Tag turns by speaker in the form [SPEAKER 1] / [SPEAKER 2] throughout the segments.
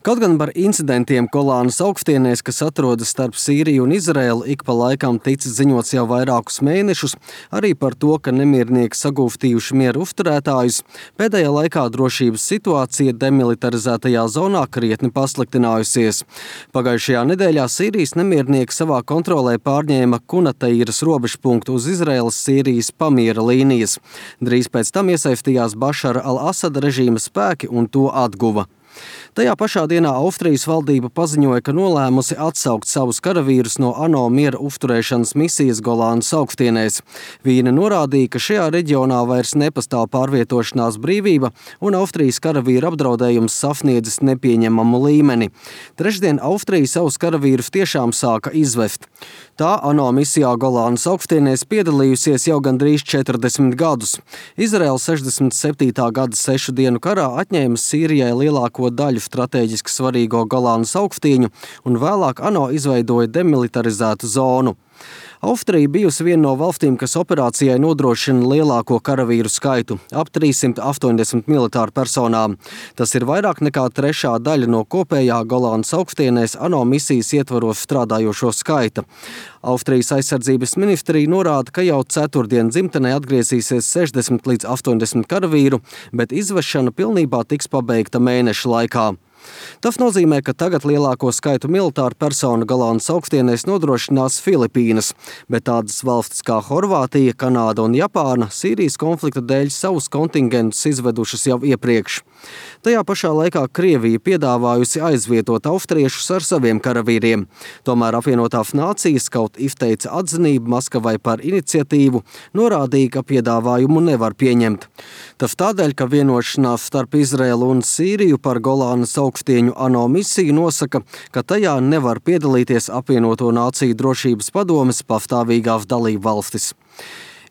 [SPEAKER 1] Kaut gan par incidentiem Golānas augstienēs, kas atrodas starp Sīriju un Izraēlu, ik pa laikam ticis ziņots jau vairākus mēnešus, arī par to, ka nemiernieki sagūstījuši mieru uzturētājus, pēdējā laikā drošības situācija demilitarizētajā zonā krietni pasliktinājusies. Pagājušajā nedēļā Sīrijas nemiernieki savā kontrolē pārņēma Kunateiras robežpunktu uz Izraēlas-Sīrijas pamiera līnijas. Drīz pēc tam iesaistījās Bašara al-Asada režīma spēki un to atguva. Tajā pašā dienā Austrijas valdība paziņoja, ka nolēmusi atsaukt savus karavīrus no ANO miera uzturēšanas misijas Golānas augstienēs. Viņa norādīja, ka šajā reģionā vairs nepastāv pārvietošanās brīvība un Austrijas karavīru apdraudējums sasniedzis nepieņemamu līmeni. Trešdien Austrija savus karavīrus tiešām sāka izvest. Tā ANO misijā Golānas augstienēs piedalījusies jau gandrīz 40 gadus. Izraēla 67. gada 6 dienu karā atņēma Sīrijai lielāko daļu stratēģiski svarīgo Golānas augstieņu un vēlāk ANO izveidoja demilitarizētu zonu. Austrija bijusi viena no valstīm, kas operācijai nodrošina lielāko karavīru skaitu – ap 380 militāru personām. Tas ir vairāk nekā trešā daļa no kopējā Golānas augstienēs ANO misijas ietvaros strādājošo skaita. Austrijas aizsardzības ministrija norāda, ka jau ceturtdien dzimtenē atgriezīsies 60 līdz 80 karavīru, bet izvešana pilnībā tiks pabeigta mēneša laikā. Tas nozīmē, ka tagad lielāko skaitu militāru personu Golānas augstienēs nodrošinās Filipīnas, bet tādas valstis kā Horvātija, Kanāda un Japāna Sīrijas konflikta dēļ savus kontingentus izvedušas jau iepriekš. Tajā pašā laikā Krievija piedāvājusi aizvietot austriešus ar saviem karavīriem. Tomēr apvienotās nācijas kaut izteica atzinību Maskavai par iniciatīvu, norādīja, ka piedāvājumu nevar pieņemt. Tas tādēļ, ka vienošanās starp Izraēlu un Sīriju par Golānas augstieņu ANO misiju nosaka, ka tajā nevar piedalīties apvienoto nāciju drošības padomes pastāvīgās dalībvalstis.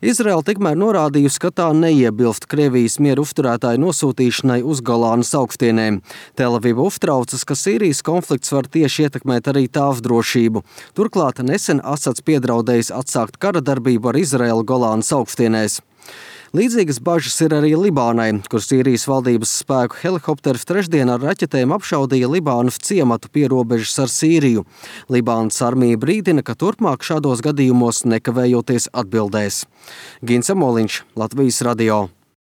[SPEAKER 1] Izraēla tikmēr norādījusi, ka tā neiebilst Krievijas mieru uzturētāju nosūtīšanai uz Golānas augstienēm. Tel-Aviva uztraucas, ka Sīrijas konflikts var tieši ietekmēt arī tās drošību. Turklāt nesen Asads piedraudējis atsākt kara darbību ar Izraēlu Golānas augstienēs. Līdzīgas bažas ir arī Libānai, kur Sīrijas valdības spēku helikopters trešdien ar raķetēm apšaudīja Libānas ciematu pie robežas ar Sīriju. Libānas armija brīdina, ka turpmāk šādos gadījumos nekavējoties atbildēs. Gins Amoliņš, Latvijas radio.